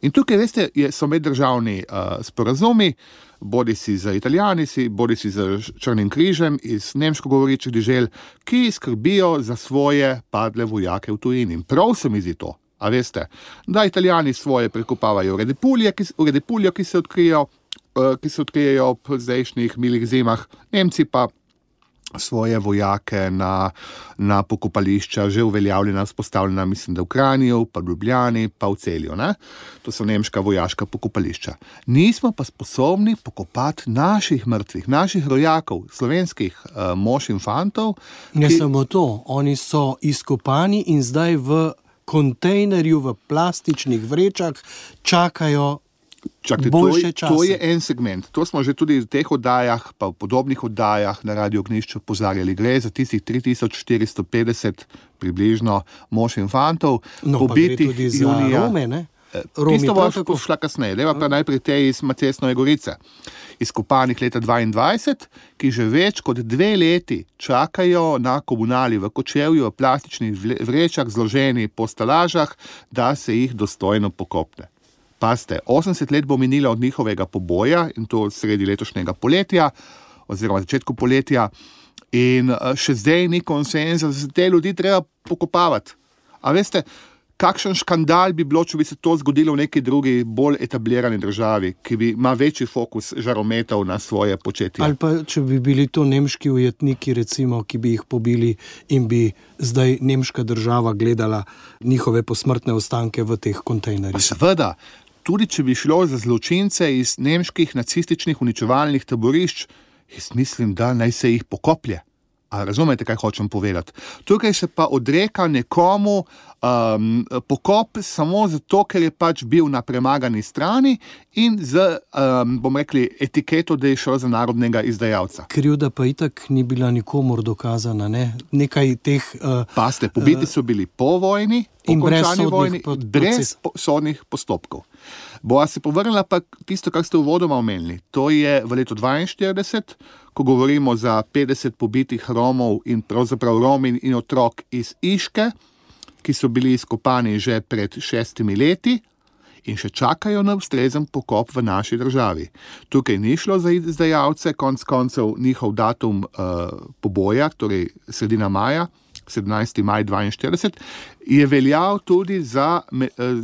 In tukaj, veste, so meddržavni sporazumi, bodi si za Italijani, bodi si za Črnim križem iz nemško govorečih dežel, ki skrbijo za svoje padle vojake v tujini. In prav se mi zdi to, a veste, da Italijani svoje prekopavajo v Redepuljo, ki se odkrijejo ob zdajšnjih milih zimah, Nemci pa svoje vojake na pokopališča, že uveljavljena, vzpostavljena, mislim, da v Kranju, pa v Ljubljani, pa v Celju. Ne? To so nemška vojaška pokopališča. Nismo pa sposobni pokopati naših mrtvih, naših rojakov, slovenskih mož in fantov. Ne samo to, oni so izkopani in zdaj v kontejnerju, v plastičnih vrečah čakajo. Čakajte, to je en segment. To smo že tudi v teh oddajah, pa v podobnih oddajah na Radio Ognjišče opozarjali. Gre za tistih 3450 približno mož in fantov, pobitih junija. Rome, ne? Tisto bo šla kasneje. Deva pa najprej te iz Macesnove Gorice, izkopanih leta 22, ki že več kot 2 leti čakajo na komunali v Kočevju v plastičnih vrečah, zloženi po stalažah, da se jih dostojno pokopne. Pazite, 80 let bo minilo od njihovega poboja in to sredi letošnjega poletja oziroma začetku poletja in še zdaj ni konsenza, da se te ljudi treba pokopavati. A veste, kakšen škandal bi bilo, če bi se to zgodilo v neki drugi, bolj etablirani državi, ki ima večji fokus žarometov na svoje početje. Ali pa, če bi bili to nemški ujetniki, recimo, ki bi jih pobili in bi zdaj nemška država gledala njihove posmrtne ostanke v teh kontejnerjih. Seveda, tudi če bi šlo za zločince iz nemških nacističnih uničevalnih taborišč, jaz mislim, da naj se jih pokoplje. A razumete, kaj hočem povedati? Tukaj se pa odreka nekomu pokop samo zato, ker je pač bil na premagani strani in z, bom rekli, etiketo, da je šlo za narodnega izdajalca. Krivda pa itak ni bila nikomor dokazana, ne? Nekaj teh... Paste, pobiti so bili po vojni, po končani vojni, brez sodnih postopkov. Bova se povrnila pa tisto, kar ste uvodoma omenili. To je v letu 42, ko govorimo za 50 pobitih Romov in pravzaprav Romin in otrok iz Iške, ki so bili izkopani že pred 6 leti in še čakajo na ustrezen pokop v naši državi. Tukaj ni šlo za izdajalce, konec koncev njihov datum poboja, torej sredina maja, 17. maj 42, je veljal tudi za,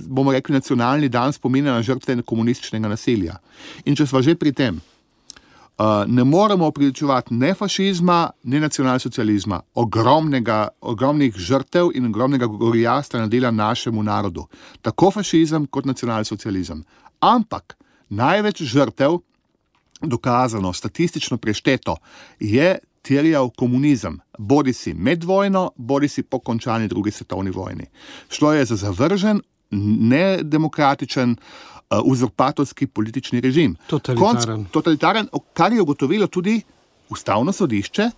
bomo rekli, nacionalni dan spomina na žrtve komunističnega nasilja. In če sva že pri tem, ne moremo opriličevati ne fašizma, ne nacionalsocializma, ogromnih žrtev in ogromnega gorjasta nadela našemu narodu. Tako fašizem kot nacionalsocializem. Ampak največ žrtev, dokazano, statistično prešteto, je terjal komunizem, bodi si med vojno, bodi si po končani drugi svetovni vojni. Šlo je za zavržen, nedemokratičen, uzurpatorski politični režim. Totalitaren, kar je ugotovilo tudi Ustavno sodišče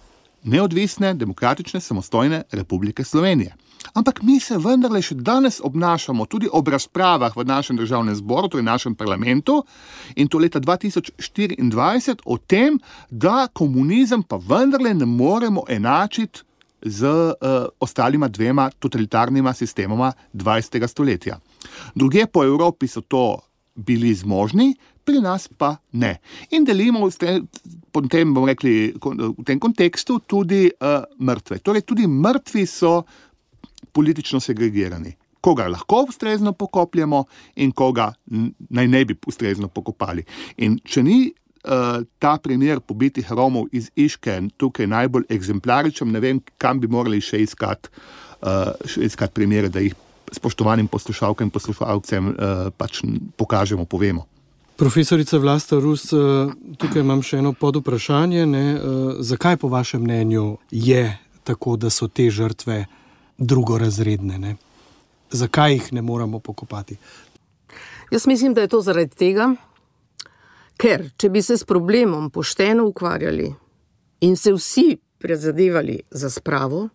neodvisne, demokratične, samostojne Republike Slovenije. Ampak mi se vendarle še danes obnašamo tudi ob razpravah v našem državnem zboru, torej našem parlamentu, in to leta 2024, o tem, da komunizem pa vendarle ne moremo enačiti z ostalima 2 totalitarnima sistemoma 20. stoletja. Drugje po Evropi so to bili zmožni, pri nas pa ne. In delimo v tem kontekstu tudi mrtve. Torej tudi mrtvi so politično segregirani. Koga lahko ustrezno pokopljemo in koga naj ne bi ustrezno pokopali. In če ni ta primer pobitih Romov iz Iške tukaj najbolj eksemplaričen, ne vem, kam bi morali še iskati primere, da jih spoštovanim poslušalkam in poslušalcem pač pokažemo, povemo. Profesorica Vlasta Rus, tukaj imam še eno podvprašanje. Zakaj po vašem mnenju je tako, da so te žrtve drugorazredne? Ne? Zakaj jih ne moramo pokopati? Jaz mislim, da je to zaradi tega, Ker, če bi se s problemom pošteno ukvarjali in se vsi prizadevali za spravo,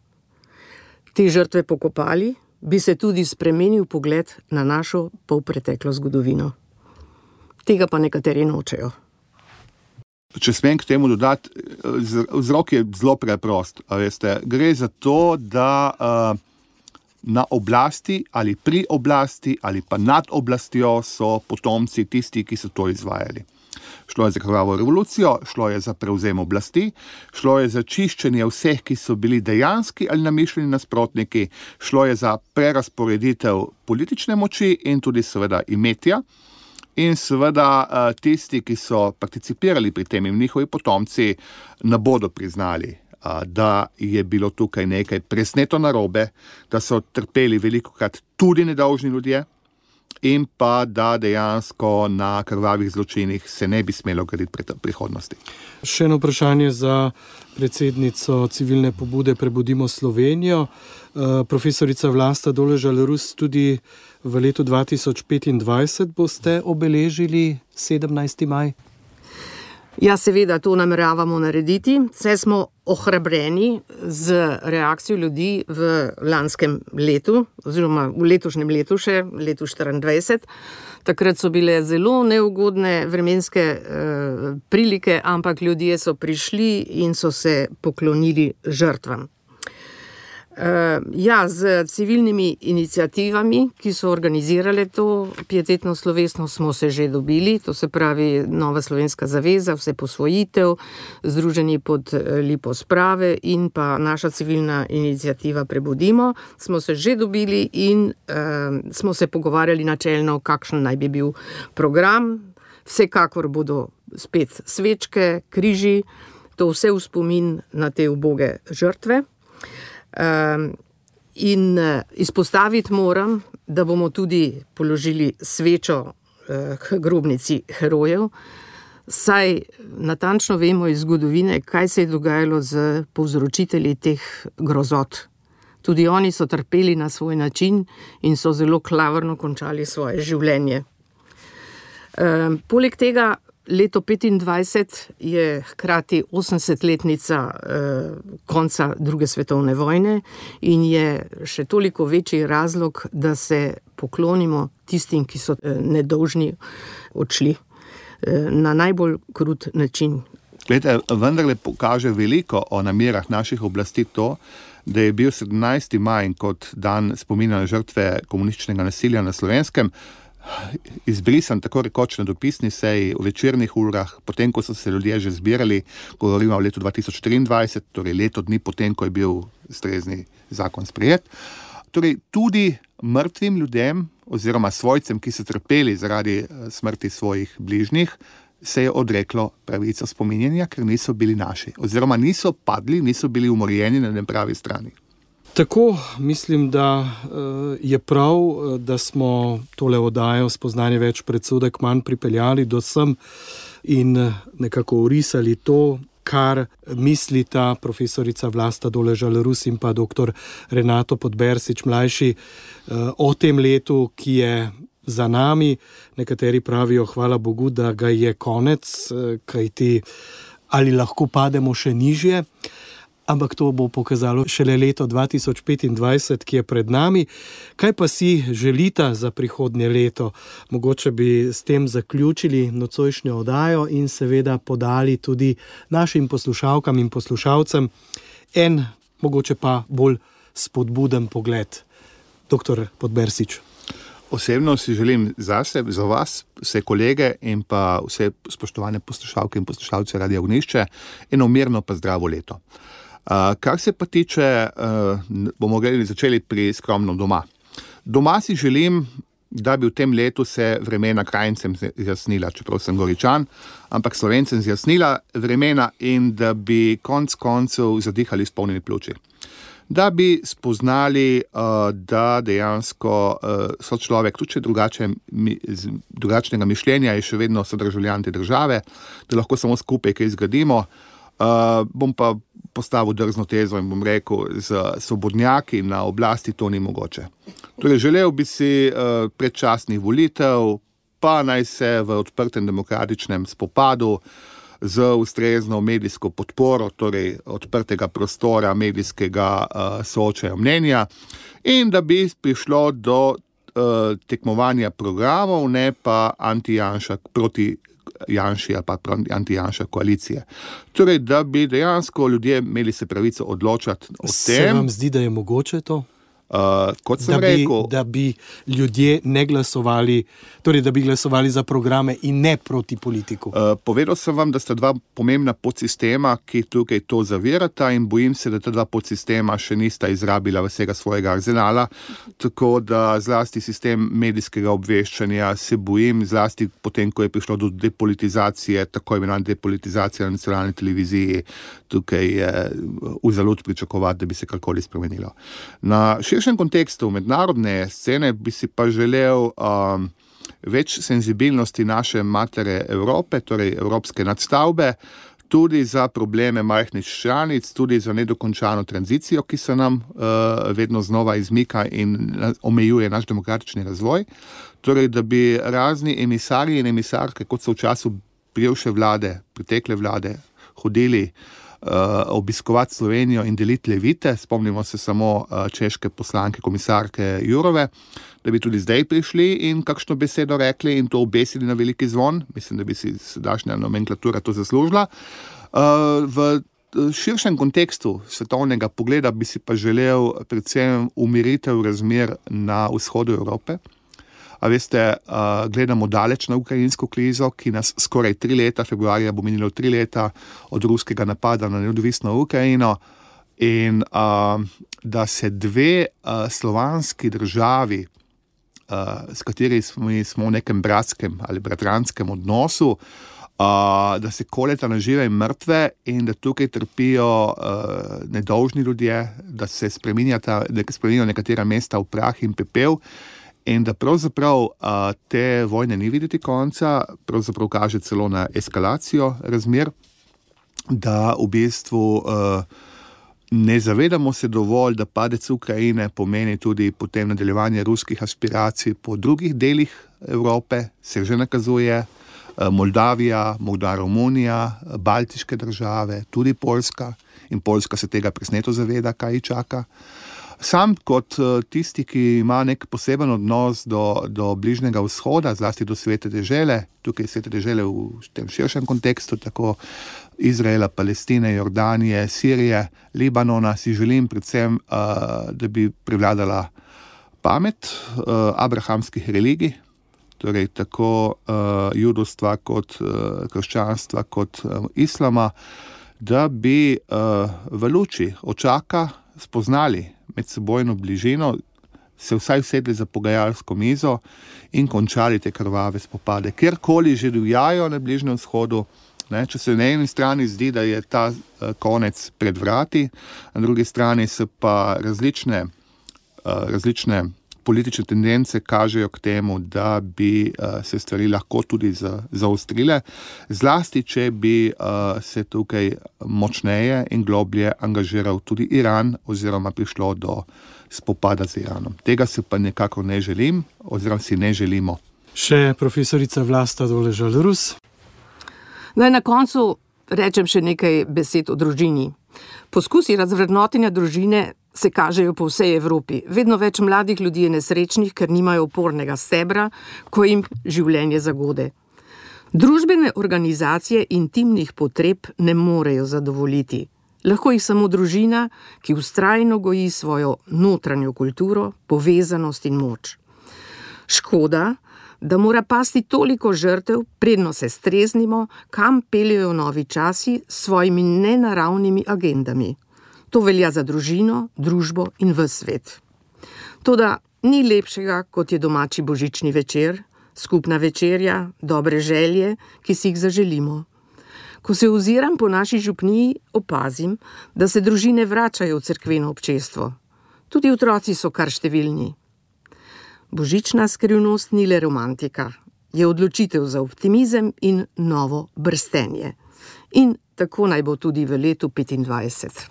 te žrtve pokopali, bi se tudi spremenil pogled na našo polpreteklo zgodovino. Tega pa nekateri nočejo. Če smem k temu dodati, vzrok je zelo preprost. Veste, gre za to, da na oblasti ali pri oblasti ali pa nad oblastjo so potomci tisti, ki so to izvajali. Šlo je za krvavo revolucijo, šlo je za prevzem oblasti, šlo je za čiščenje vseh, ki so bili dejanski ali namišljeni nasprotniki, šlo je za prerasporeditev politične moči in tudi seveda imetja. In seveda tisti, ki so participirali pri tem in njihovi potomci, ne bodo priznali, da je bilo tukaj nekaj presneto narobe, da so trpeli velikokrat tudi nedolžni ljudje in pa da dejansko na krvavih zločinih se ne bi smelo graditi prihodnosti. Še eno vprašanje za predsednico civilne pobude Prebudimo Slovenijo. Profesorica Vlasta Doležal-Rus, tudi v letu 2025 boste obeležili 17. maj? Ja, seveda, to nameravamo narediti. Vse smo ohrabreni z reakcijo ljudi v lanskem letu, oziroma v letošnjem letu še, letu 2024. Takrat so bile zelo neugodne vremenske prilike, ampak ljudje so prišli in so se poklonili žrtvam. Ja, z civilnimi iniciativami, ki so organizirale to pietetno slovesnost, smo se že dobili, to se pravi Nova slovenska zaveza, Vseposvojitev, Združeni pod lipo sprave in pa naša civilna iniciativa Prebudimo, smo se že dobili in smo se pogovarjali načelno, kakšen naj bi bil program. Vsekakor bodo spet svečke, križi, to vse v spomin na te uboge žrtve. In izpostaviti moram, da bomo tudi položili svečo k grobnici herojev, saj natančno vemo iz zgodovine, kaj se je dogajalo z povzročitelji teh grozot. Tudi oni so trpeli na svoj način in so zelo klavrno končali svoje življenje. Poleg tega leto 25 je hkrati 80-letnica konca druge svetovne vojne in je še toliko večji razlog, da se poklonimo tistim, ki so nedolžni odšli na najbolj krut način. Glede, vendarle pokaže veliko o namerah naših oblasti to, da je bil 17. maj kot dan spomina na žrtve komunističnega nasilja na Slovenskem izbrisan tako rekoč na dopisni seji v večernih urah, potem, ko so se ljudje že zbirali, govorimo o letu 2023, torej leto dni potem, ko je bil ustrezni zakon sprejet. Torej, tudi mrtvim ljudem oziroma svojcem, ki so trpeli zaradi smrti svojih bližnjih, se je odreklo pravico spominjanja, ker niso bili naši. Oziroma niso padli, niso bili umorjeni na nepravi strani. Tako mislim, da je prav, da smo tole oddajo Spoznanje več predsodek manj pripeljali do sem in nekako orisali to, kar mislita profesorica Vlasta Doležal-Rus in pa dr. Renato Podbersič mlajši o tem letu, ki je za nami. Nekateri pravijo, hvala Bogu, da ga je konec, kajti ali lahko pademo še nižje. Ampak to bo pokazalo šele leto 2025, ki je pred nami. Kaj pa si želita za prihodnje leto? Mogoče bi s tem zaključili nocojšnjo oddajo in seveda podali tudi našim poslušalkam in poslušalcem en, mogoče pa bolj spodbuden pogled. Dr. Podbersič. Osebno si želim zase, za vas, vse kolege in pa vse spoštovane poslušalke in poslušalce Radia Ognjišče eno mirno pa zdravo leto. Kar se pa tiče, bomo začeli pri skromnem doma. Doma si želim, da bi v tem letu se vremena Krajincem zjasnila, čeprav sem Goričan, ampak Slovencem zjasnila vremena in da bi konec koncev zadihali s polnimi pljuči. Da bi spoznali, da dejansko so človek, tudi če drugačnega mišljenja, je še vedno sodržavljan te države, da lahko samo skupaj kaj zgradimo. Bom pa postavil drzno tezo in bom rekel, z svobodnjaki na oblasti to ni mogoče. Torej, želel bi si predčasnih volitev, pa naj se v odprtem demokratičnem spopadu z ustrezno medijsko podporo, torej odprtega prostora medijskega soočajo mnenja in da bi prišlo do tekmovanja programov, ne pa proti Janši ali pa anti-Janša koalicije. Torej, da bi dejansko ljudje imeli se pravico odločati o tem. Se vam zdi, da je mogoče to? Kot sem rekel, da bi ljudje ne glasovali, torej da bi glasovali za programe in ne proti politiku. Povedal sem vam, da sta dva pomembna podsistema, ki tukaj to zavirata in bojim se, da ta dva podsistema še nista izrabila vsega svojega arzenala, tako da zlasti sistem medijskega obveščanja se bojim, zlasti potem, ko je prišlo do depolitizacije, tako imenovane depolitizacije na nacionalni televiziji, tukaj je v zalud pričakovati, da bi se karkoli spremenilo. Na širšem kontekstu mednarodne scene bi si pa želel več senzibilnosti naše matere Evrope, torej evropske nadstavbe, tudi za probleme majhnih članic, tudi za nedokončano tranzicijo, ki se nam vedno znova izmika in omejuje naš demokratični razvoj. Torej, da bi razni emisarji in emisarke, kot so v času prejšnje vlade, pretekle vlade, hodili obiskovati Slovenijo in deliti levite, spomnimo se samo češke poslanke, komisarke Jurove, da bi tudi zdaj prišli in kakšno besedo rekli in to obesili na veliki zvon. Mislim, da bi si sedanja nomenklatura to zaslužila. V širšem kontekstu svetovnega pogleda bi si pa želel predvsem umiritev razmer na vzhodu Evrope. A veste, gledamo daleč na ukrajinsko krizo, ki nas skoraj 3 leta, februarja bo minilo 3 leta od ruskega napada na neodvisno Ukrajino in da se dve slovanski državi, s kateri smo v nekem bratskem ali bratranskem odnosu, da se koleta na žive in mrtve in da tukaj trpijo nedolžni ljudje, da se spremenijo nekatera mesta v prah in pepel, in da pravzaprav te vojne ni videti konca, pravzaprav kaže celo na eskalacijo razmer, da v bistvu ne zavedamo se dovolj, da padec Ukrajine pomeni tudi potem nadaljevanje ruskih aspiracij po drugih delih Evrope, se že nakazuje, Moldavija, morda Romunija, baltiške države, tudi Poljska, in Poljska se tega presneto zaveda, kaj ji čaka. Sam kot tisti, ki ima nek poseben odnos do bližnjega vzhoda, zlasti do Svete dežele, tukaj Svete dežele v tem širšem kontekstu, tako Izraela, Palestine, Jordanije, Sirije, Libanona, si želim predvsem, da bi prevladala pamet abrahamskih religij, torej tako judovstva kot krščanstva kot islama, da bi v luči očaka spoznali medsebojno bližino, se vsaj usedli za pogajalsko mizo in končali te krvave spopade. Kjerkoli že divjajo na Bližnjem vzhodu, če se na eni strani zdi, da je ta konec pred vrati, na drugi strani se pa različne politične tendence kažejo k temu, da bi se stvari lahko tudi zaostrile, zlasti, če bi se tukaj močneje in globlje angažiral tudi Iran oziroma prišlo do spopada z Iranom. Tega se pa nekako ne želim oziroma si ne želimo. Še profesorica Vlasta Doležal-Rus. Naj na koncu rečem še nekaj besed o družini. Poskusi razvrednotenja družine se kažejo po vsej Evropi. Vedno več mladih ljudi je nesrečnih, ker nimajo opornega stebra, ko jim življenje zagode. Družbene organizacije intimnih potreb ne morejo zadovoljiti. Lahko jih samo družina, ki vztrajno goji svojo notranjo kulturo, povezanost in moč. Škoda, da mora pasti toliko žrtev, predno se streznimo, kam peljejo novi časi s svojimi nenaravnimi agendami. To velja za družino, družbo in ves svet. Toda ni lepšega, kot je domači božični večer, skupna večerja, dobre želje, ki si jih zaželimo. Ko se oziram po naši župniji, opazim, da se družine vračajo v cerkveno občestvo. Tudi otroci so kar številni. Božična skrivnost ni le romantika, je odločitev za optimizem in novo brstenje. In tako naj bo tudi v letu 2025.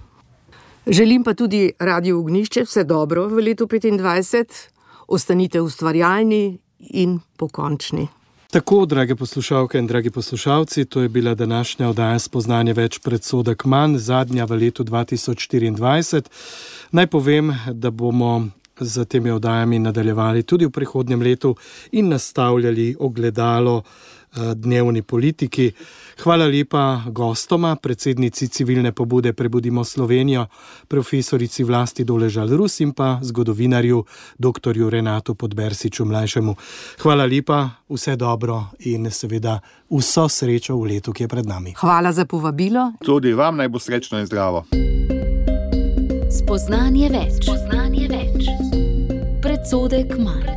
Želim pa tudi Radiu Ognjišče vse dobro v letu 2025. Ostanite ustvarjalni in pokončni. Tako, drage poslušalke in dragi poslušalci, to je bila današnja oddaja Spoznanje več predsodek manj, zadnja v letu 2024. Naj povem, da bomo z temi oddajami nadaljevali tudi v prihodnjem letu in nastavljali ogledalo dnevni politiki. Hvala lepa gostoma, predsednici civilne pobude Prebudimo Slovenijo, profesorici Vlasti Doležal-Rus in pa zgodovinarju dr. Renatu Podbersiču mlajšemu. Hvala lepa, vse dobro in seveda vso srečo v letu, ki je pred nami. Hvala za povabilo. Tudi vam naj bo srečno in zdravo. Spoznanje več. Predsodek manj.